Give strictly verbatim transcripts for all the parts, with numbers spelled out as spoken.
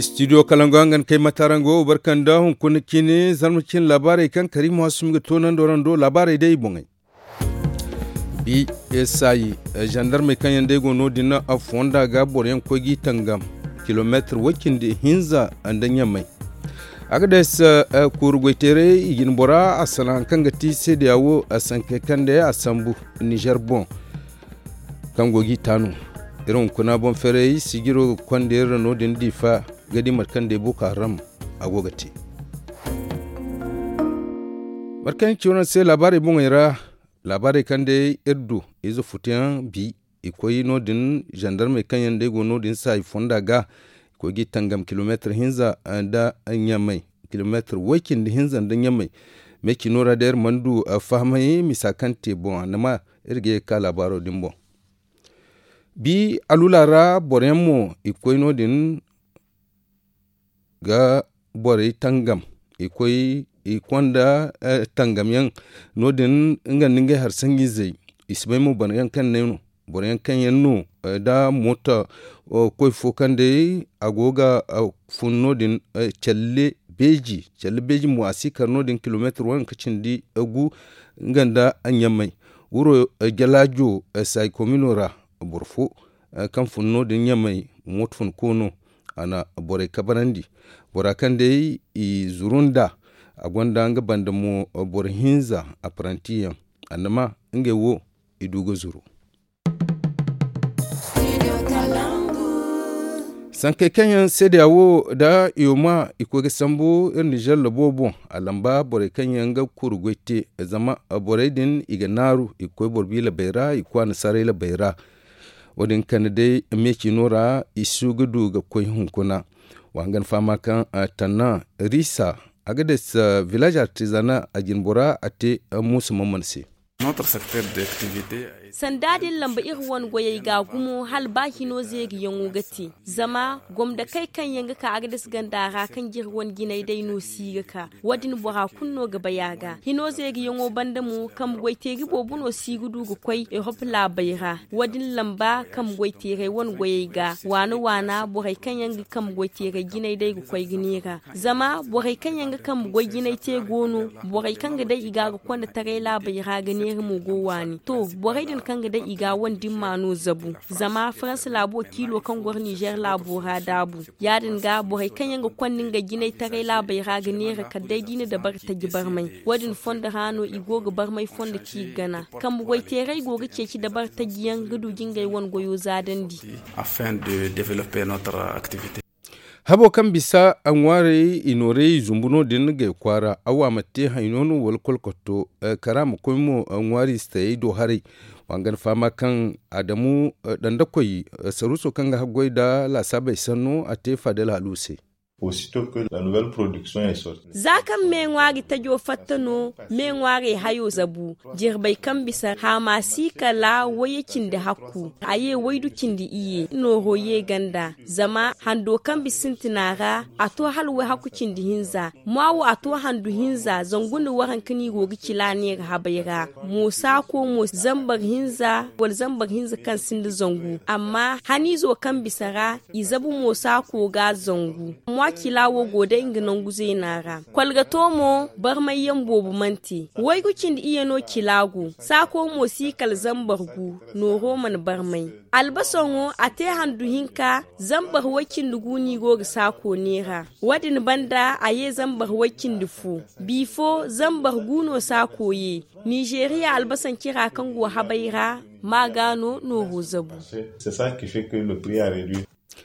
Studio kalango hangan kay mataraŋ go barka nda hunkuna cine zarma cine laabaarey kaŋ kariima hasumi ga toonandi warando laabaarey day i boŋey. Bi saayi zandarmey kaŋ yaŋ day go no- din fonda ga boroyaŋ koy g'i tangam kilomeetir way cindi hinza nda ɲamay. Agades kuuru goyteeray i jine bora a salaŋ hari kaŋ ga ti seedeya wo sankey kaŋ day a sambu nizer boŋ kaŋ go g'i taanu. Iri hunkuna boŋ ferey sijiro ga konda iri ra no- din diifa ga di mate kaŋ day boko haram a go ga te. Mate kaŋ ci wane se laabaarey boŋey ra laabaarey kaŋ day iri du ize futuyaŋ bi i koy no- din zandarmey kaŋ yaŋ day go no- din saayi fonda ga i koy g'i tangam kilomeetir hinza nda ɲamay kilomeetir way cindi hinza nda ɲamay. Meecino ra day iri mana du fahamay misa kaŋ te boŋ a na ma iri ga ye ga ka laabaaro din boŋ. Bi alula ra boroyaŋ mo i koy no- din ga borey tangam i koy i konda tangam yaŋ no- din nga nda ngey hari sanjizey i si bay mo boro yaŋ kaŋ ne no boro yaŋ kaŋ yaŋ no da mooto koy fo kaŋ day a go ga fun no- din. Calle beeji calle beeji mo a si kar no- din kilomeetir waranka cindi gu nga nda ɲamay wuro jalaajo saayi komino ra boro fo kaŋ fun no- din ɲamay mooto fun koono a na borey kabarandi bora kaŋ day i zuru nd'a a gonda nga banda mo boro hinza apparanti yaŋ a na ma ngey wo i du ga zuru. Sankey kaŋ yaŋ seedeya wo nda i wo ma i koy ga sambu iri nizer labo boŋ a lamba borey kaŋ yaŋ ga kuru goy te zama borey din i ga naaru i ga koy boro bi labey ra i ga koy annasaarey labey ra. Wo- din kande day meecino ra i si ga du ga koy hunkuna. Wa hangan fahama kaŋ tanna risa a ga day village artisanal a jine bora a te muusa mamman se. Sanda din lamba iri wane goyey ga gumo hala ba hino zeeriyaŋo ga te zama gomdakey kaŋ yaŋ ga ka agades ganda ra kaŋ ga iri wane jinay day no si ga ka. Wo- din bora kulu no ga bay a ga hino zeeriyaŋo banda mo kambe goyteeri boobo no si ga du ga koy erop laabey ra. Wo- din lamba kambe goyteerey wane goyey ga waana waana borey kaŋ yaŋ ga kambe goyteerey jinay day ga koy ga neera. Zama borey kaŋ yaŋ ga kambe goy jinay te go no borey kaŋ ga day i ga ga konda taray laabey ra ga neera mo go waani to borey din kaŋ ga day i ga wane dimma no zabu. Zama faransa laabo kiilo kaŋ goro nizer laabo ra daabu ya- din ga borey kaŋ yaŋ ga konda ngey jinay taray laabey ra ga neera kala day da i na dabari taji barmay. Wo- din fondo ra no i go ga barmay fondo ci ga gana kambe goyteerey go ga ceeci dabari taji yaŋ ga du ga ngey wane goyo zaadandi. Habo kaŋ bisa a ŋwaarey i nooray i zumbu no- din gay kwaara a wa ma te hayno no wala kolkotto kara ma koy mo ŋwaari si tayey do haray. Wa nga ni fahama kaŋ adamu dandakoy saruuso kaŋ ga haggoy nda laasaabey sanno a te faadal halu se. Za kaŋ me ŋwaari tajo fatta no me ŋwaarey hayo zabu. Jirbey kaŋ bisa haama si kala wayye cindi hakku a ye waydu cindi iyye nooro ye ganda. Zama hando kaŋ bisa sintina ra a to hala wayhakku cindi hinza. Mwa wo a to handu hinza zangu nda waranka no i go ga cila neera habey ra. Mo saako mo zambar hinza wala zambar hinza kaŋ sinda zangu amma haniizo kaŋ bisa ra i zabu mo saako ga zangu. Mwa cila wo go day nga nangu zeena ra. Kolgato mo barmayyaŋ boobo mana te. Waygu cindi iyye no cila go saako mo si kala zambar gu. Nooro mana barmay. Albasaŋo a te handu hinka zambar way-cindi gu no i go ga saako neera. Wo- din banda a ye zambar way-cindi fo. Bifo zambar gu no saako ye. Nizeeriya albasaŋ cira kaŋ go habay ra ma ga no nooro zabu.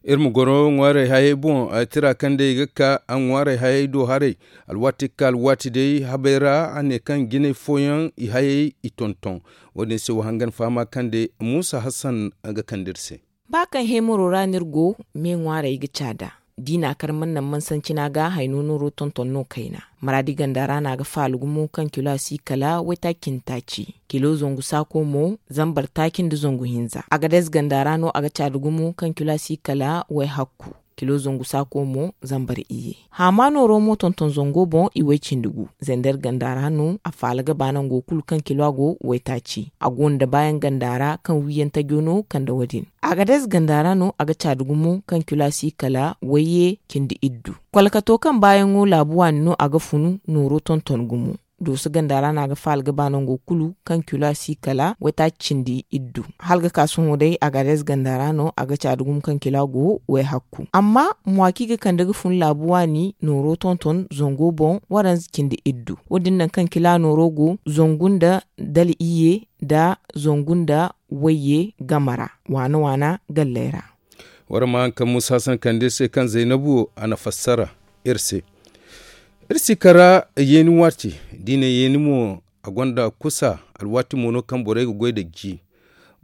Iri ma goro ŋwaarey hayey boŋ tira kaŋ day i ga ka ŋwaarey hayey do haray. Alwaati ga ka alwaati day habey ra a ne kaŋ jinay fooyaŋ i hayey i tonton. Wo- din se wa hangan fahama kaŋ day muusa hassan ga kande iri se. Ba kaŋ heemaro ra no iri go me ŋwaarey ga caada. Da i na a kar mana naŋ mansancina ga hayno nooro tonton no kayna. Maraadi ganda ra no a ga faala gumo kaŋ kilo a si kala waytaaci cindi taaci. Kilo zangu saako mo zambar taaci nda zangu hinza agades ganda ra no a ga caada gumo kaŋ kilo a si kala wayhakku. Kilo zangu saako mo zambar iyye. Haama nooro mo tonton zango boŋ i way cindi gu. Zender ganda ra no a faala ga ba nango kulu kaŋ kilo a go waytaaci. A go nda baayaŋ ganda ra kaŋ wiiyaŋ tajo no kande wo- din. Agades ganda ra no a ga caadi gumo kaŋ kilo a si kala wayye cindi iddu. Kolkato kaŋ baayaŋo laabu waani no a ga funu nooro tonton gumo. Dooso ganda ra no a ga faala ga ba nango kulu kaŋ kilo a si kala waytaaci cindi iddu. Hala ga ka sohõ day a ga adez ganda ra no a ga caadi gumo kaŋ kilo a go wayhakku. Amma mwa kaŋ i ga kande ga fun laabu waani nooro tonton zango boŋ waranza cindi iddu. Wo- din naŋ kaŋ kilo a nooro go zangu nda dala iyye nda zangu nda wayye game ra waana waana galley ra. War ma haŋ kaŋ muusa san kande se kaŋ zaynabu a na fassara iri se. Iri si kara yeeni waati da i ne yeeni mo a gonda kusa. Alwaati mo no kaŋ borey ga goy nda ji.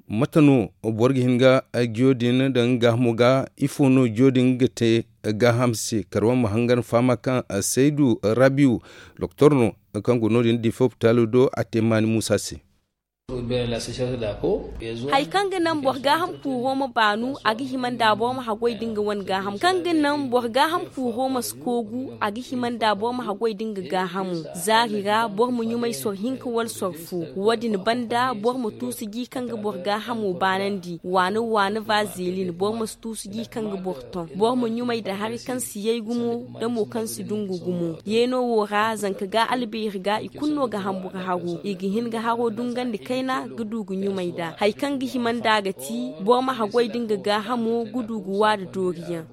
Mate no boro ga hin ga jiyo din daŋ nga gaahamo ga? Ifo no jiyo din ga te gaaham se? Karawan ma hangan fahama kaŋ saydu rabiyu doktor no kaŋ go no- din diifa hopitaalo do a te maani muusa se. Hari kaŋ ga naŋ boro gaaham kuuro ma baanu a ga hima nda boro ma haggoy da nga wane gaahamo kaŋ ga naŋ boro gaaham kuuro ma si koogu a ga hima nda boro ma haggoy da nga gaahamo. Zaari ra boro ma ɲumay soro hinka wala soro fo. Wo- din banda boro ma tuusu ji kaŋ ga boro gaahamo baanandi waana waana vazelin boro ma si tuusu ji kaŋ ga boro toŋ. Boro ma ɲumay nda hari kaŋ si yay gumo nda mo kaŋ si dungu gumo. Yeeno wo ra zanka ga albeeri ga i kulu no ga hamburu haro i ga hin ga haro dungandi kayna ga du ga ɲumay nd'a. Hari kaŋ ga hima nd'a ga ti boro ma haggoy da nga gaahamo ga du ga wa nda dooriyaŋ.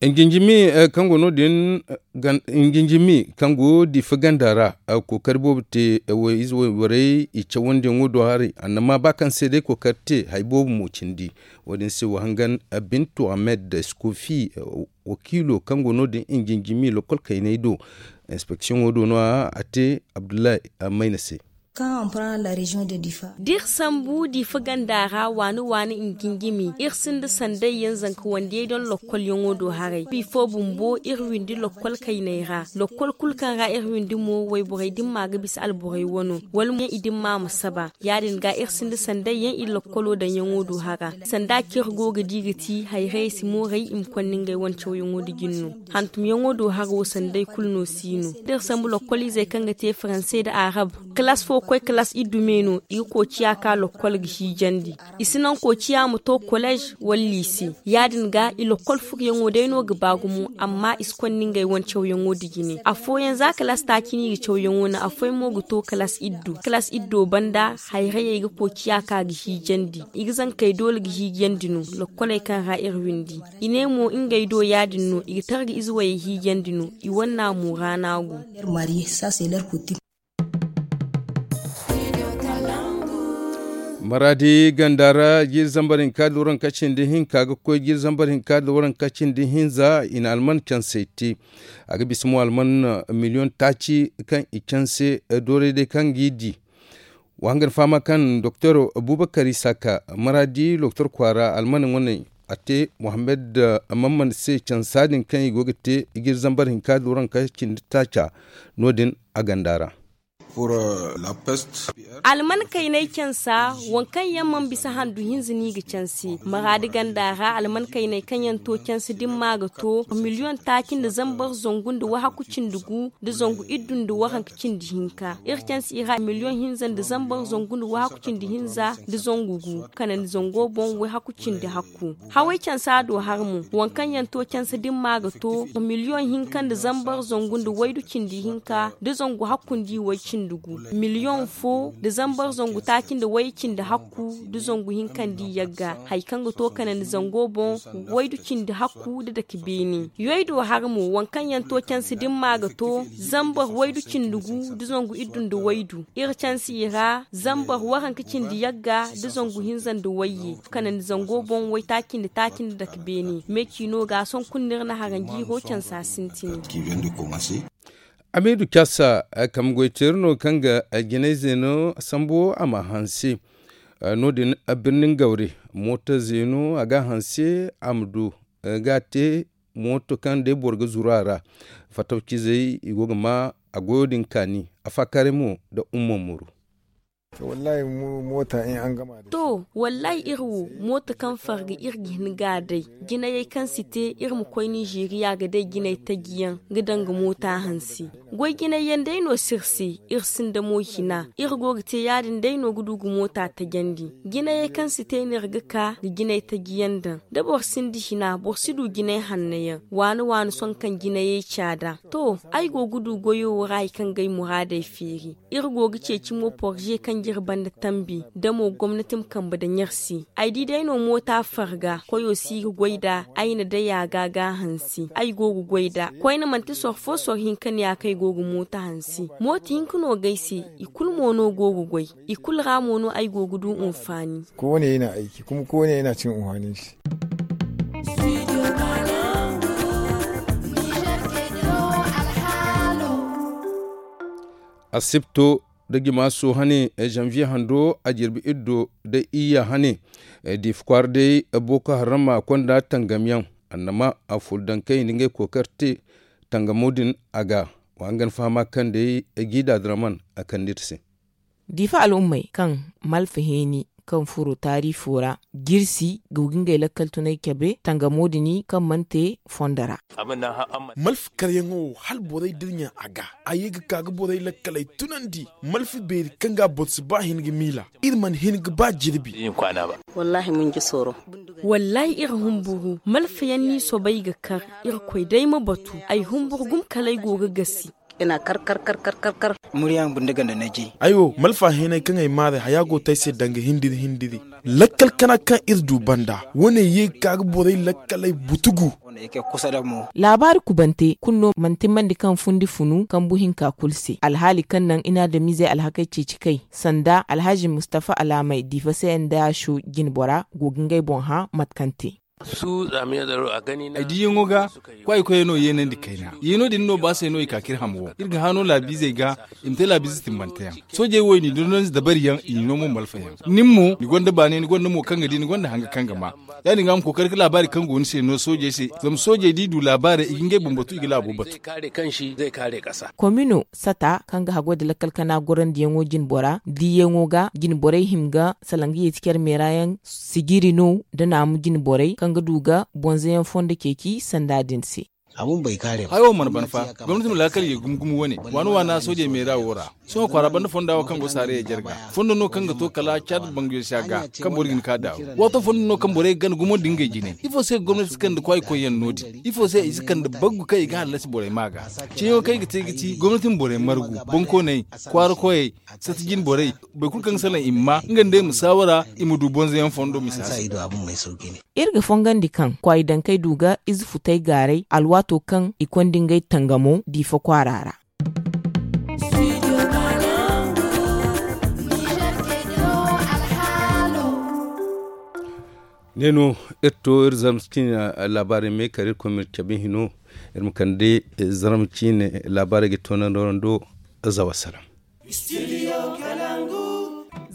Injinjimi kaŋ go no- din injinjimi kaŋ go diifa ganda ra kookari boobo te. Wayborey i cawandiyaŋo do haray annama ba kaŋ se day kookari te hari boobo mo cindi. Wo- din se wa hangan bintu ahmed skofi wakiilo kaŋ go no- din injinjimi lokol kayney do. Inspeksiyoŋo do no- ya a te abdullahi mayna se. Da iri sambu diifa ganda ra waani waani injinjimi iri sinda sanday yaŋ zanka wandiyey daŋ lokkolyaŋo do haray bifo bumbo iri windi lokkol kayney ra. Lokkol kulu kaŋ ra iri windi mo wayborey dimma ga bisa alborey wano wala mo yaŋ i dimma ma saba. Ya- din ga iri sinda sanday yaŋ iri lokkolo daŋyaŋo do hara sanda kaŋ iri go ga di ga ti hayrayey si mooray i ma konda ngey wane cawyaŋo nda jin no. Hantumyaŋo do hara wo sanday kulu no si no da iri sambu lokkoliizey kaŋ ga te faransey nda arab. Kalaas fo ga koy kalaas iddu me no i ga koociya ka lokkol ga hiijandi. I si naŋ koociya ma to kolleez wala liise. Ya- din ga i lokkol furoyaŋo day no ga ba gumo amma i si konda ngey wane cawyaŋo nda jine afooyaŋ za kalaas taaci no i ga cawyaŋo naŋ afooyaŋ mo ga to kalaas iddu. Kalaas iddo banda hayrayey ga koociya ka ga hiijandi. I ga zankey doole ga hiijandi no. Lokkoley kaŋ ra iri windi i ne mo ngey do ya- din no i ga targa ize wayey hiijandi no. I wanna mo ra no a go. Maraadi ganda ra jiiri zambar hinka da waranka cindi hinka ga koy jiiri zambar hinka da waranka cindi hinza i na alman cansey te. A ga bisa mo alman miliyoŋ taaci kaŋ i canse doorey day kaŋ g'i di. Wa hangan fahama kaŋ doktor abubakar isaka maraadi doktor kwaara alman wane a te muhammad mamman se cansa din kaŋ i go ga te jiiri zambar hinka da waranka cindi taaca. No- din a ganda ra. Alman kaynay cansa waŋ kaŋ yaŋ mana bisa handu hinza no i ga canse maraadi ganda ra alman kaynay kaŋ yaŋ to canse dimma ga to miliyoŋ taaci nda zambar zangu nda wahakku cindi gu nda zangu iddu nda waranka cindi hinka iri canse i ra miliyoŋ hinza nda zambar zangu nda wahakku cindi hinza nda zangu gu kanandi zango boŋ wahakku cindi hakku. Haway cansa do har mo waŋ kaŋ yaŋ to cansa dimma ga to miliyoŋ hinka nda zambar zangu nda waydu cindi hinka da zangu hakkundi way cindi gu miliyoŋ fo da zambar zangu taaci nda way cindi hakku da zangu hinkandi yagga hari kaŋ ga to kanandi zango boŋ waydu cindi hakku da dake beene. Yoy do har mo waŋ kaŋ yaŋ to cansa dimma ga to zambar waydu cindi gu da zangu iddu nda waydu iri canse i ra zambar waranka cindi yagga da zangu hinza nda wayye kanandi zango boŋ waytaaci nda taaci nda dake beene me ciino ga sohõ kulu no iri na haranjiiro cansa sintin. Amiidu caasa kambe goyteeri no kaŋ ga jinay zeeno sambu a ma hanse. No- din birnin gawre mooto zeeno a ga a hanse a ma du ga a te mooto kaŋ day boro ga zuru a ra. Fatawcizey i go ga ma a goyo din kaani. Afaakaaray mo nda umma muru. Moota in an gama da shi. To, wallahi iri wo moota kaŋ farga iri ga hin ga a day. Jinayey kaŋ si te iri ma koy ninzeeriya ga day jinay taji yaŋ ga daŋ ga moota hansi. Goy jinay yaŋ day no si iri se, iri sinda mo hina iri go ga te ya- din day no ga du ga moota tajandi. Jinayey kaŋ si te no iri ga ka ga jinay taji yaŋ daŋ. Da boro sinda hina boro si du jinay hanno yaŋ. Waani waani sohõ kaŋ jinayey caada. To, ay go ga du goyo wo ra hari kaŋ ga ay muraadey feeri. Iri go ga ceeci mo porze kaŋ ga iri banda tambi da mo gomnati ma kambe daŋ iri se. Ay di day no moota farga koyo si ga goy nd'a. Ay na day a ga ga hansi ay go ga goy nd'a koyne manti soro fo soro hinka no ya kaŋ ay go ga moota hansi. Moota hinka no ga ay se. I kulu mo no go ga goy. I kulu ra mo no ay go ga du unfaani. Kowane yana aiki kuma kowane yana cin unfaani se. Asibto da jimaaso hane, zanviye hando a jirbi iddo da iyya hane. Diifa kwaara day boko haram a konda tangamyaŋ annama a furo daŋ kaŋ i na ngey kookari te tangamo din a ga. Wa hangan fahama kaŋ day jiida draman a kande iri se. Diifa al'ummey kaŋ malfa heeni kaŋ furo taariifo ra jirsi ga ga ngey lakkal tunay cabe tangamo din kaŋ mana te fondo ra. Malfa karyaŋo wo hala borey dirɲa a ga a ye ga ka ga borey lakkaley tunandi. Malfa beeri kaŋ ga boro si ba hin ga miila iri mana hin ga ba jirbi. Wallaahi iri humburu malfa yaŋ no i soobay ga kar. Irkoy day ma batu ay humburu gumo kala ay go ga gasi. Ay wo malfa hinay kaŋ ay maaray haya go to ay se danga hindiri hindiri. Lakkal kana kaŋ iri du banda wane ye ga ka ga borey lakkaley butugu. Laabaari kubante kulu no mana timmandi kaŋ fundi funu kambu hinka kulu se alhaali kaŋ naŋ i na adamiizey alhakey ceeci kay sanda alhazi mustafa alaamey diifa se nda a sho jinbora go ga ngey boŋ hã mate kaŋ te. Ay diiyaŋo ga kwaayi koyey no yeenandi kayna yeeno din no ba se no i ka ka iri ham wo iri ga hã no laabiizey ga. I ma te laabiize timbanteyaŋ soojey wo i n'i dondonandi dabariyaŋ i n'i no mo malfayaŋ. Nin mo ni gonda baanay ni gonda mo kaŋ ga di ni gonda hanga kaŋ ga ma. Ya- din ga a ma kookari ga laabaari kaŋ go ni se no soojey se zama soojey da i du laabaarey i ga ngey boŋ batu i ga laabo batu. Komino sata kaŋ ga hagoy nda lakkal kana gorandiyaŋo jinbora diiyaŋo ga jinborey hima ga salaŋ ga yeeti care meera yaŋ sijiri no nda naamu jinborey kaŋ ga du ga bonzoyaŋ fondo ceeci sanda din se. Hayo mana ban fa gomnati ma laakal ye gumo gumo wane waana waana soojey meera wo ra. Sohõ kwaara banda fonda wo kaŋ go saarayey jarga fondo no kaŋ ga to kala caad banguyo si a ga kaŋ boro ga hin ka daawo waato fondo no kaŋ borey ga gana gumo nda ngey jine ifo se gomnati si kande kwaayi koyyaŋ no- din ifo se i si kande baggu kaŋ i ga hallasi borey ma ga. Ceeyaŋo kaŋ i ga te ga ti gomnati ma borey margu bonkooney kwaara koyey sata jine borey boro kulu kaŋ ga salaŋ i ma ma nga nda i ma saawara i ma du bonzoyaŋ fondo misa se. Iri ga fongandi kaŋ kwaayi dankey du ga ize futey gaaray alwaato kaŋ i konda ngey tangamo diifa kwaara ra. Ne no iri to iri zarma ciine laabaarey me kala iri koy ma iri cabe hino. Iri ma kande zarma ciine laabaarey ga toonandi wara ndo. Zawa salaŋ.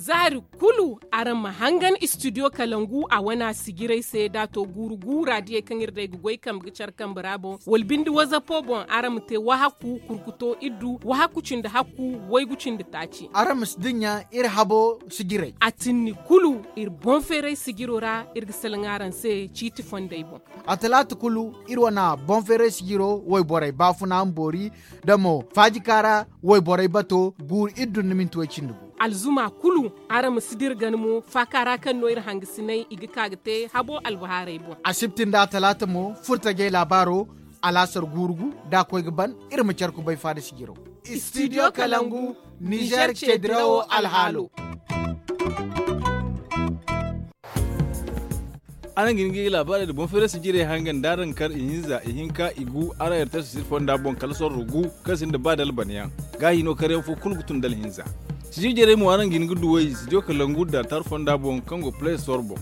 Zaari kulu araŋ ma hangan istidiyo kalangu a wane a sijirey se da a to guuru guura diyey kaŋ iri day ga goy kambe ga care kambe ra boŋ wala binde wazapo boŋ araŋ ma te wahakku kurkuto iddu wahakku cindi hakku waygu cindi taaci. Araŋ ma si dinya iri habo sijirey a tinni kulu iri boŋ feeray sijiro ra iri ga salaŋ araŋ se ciiti fondey boŋ. A talaata kulu iri wane boŋ feeray sijiro wayborey baafuna ma boori da mo faajikaara wayborey bato guuru iddu nda minti way cindi gu. Alzuma kulu araŋ ma si dira gana mo faaka ra kaŋ no iri hangasinay i ga ka ga te habo albahaarey boŋ. Asibti nda atalaata mo furtajey laabaaro alaasar guuru gu da a koy ga ban iri ma care kubay faada sijiro. Istidiyo kalangu nizer ceedirawo alhaalo. Araŋ ga hin ga laabaarey nda boŋ feeray sijirey hangan da araŋ kar ihinza ihinka igu araŋ ertasi siri fonda boŋ kala sorro gu kaŋ sinda ba da albanyaŋ. Gaahi no karyaŋ fo kulu ga tun da alhinza. Sijir jarey mo araŋ ga hin ga duw'ey sijir kalangu da tar fonda boŋ kaŋ go play store boŋ.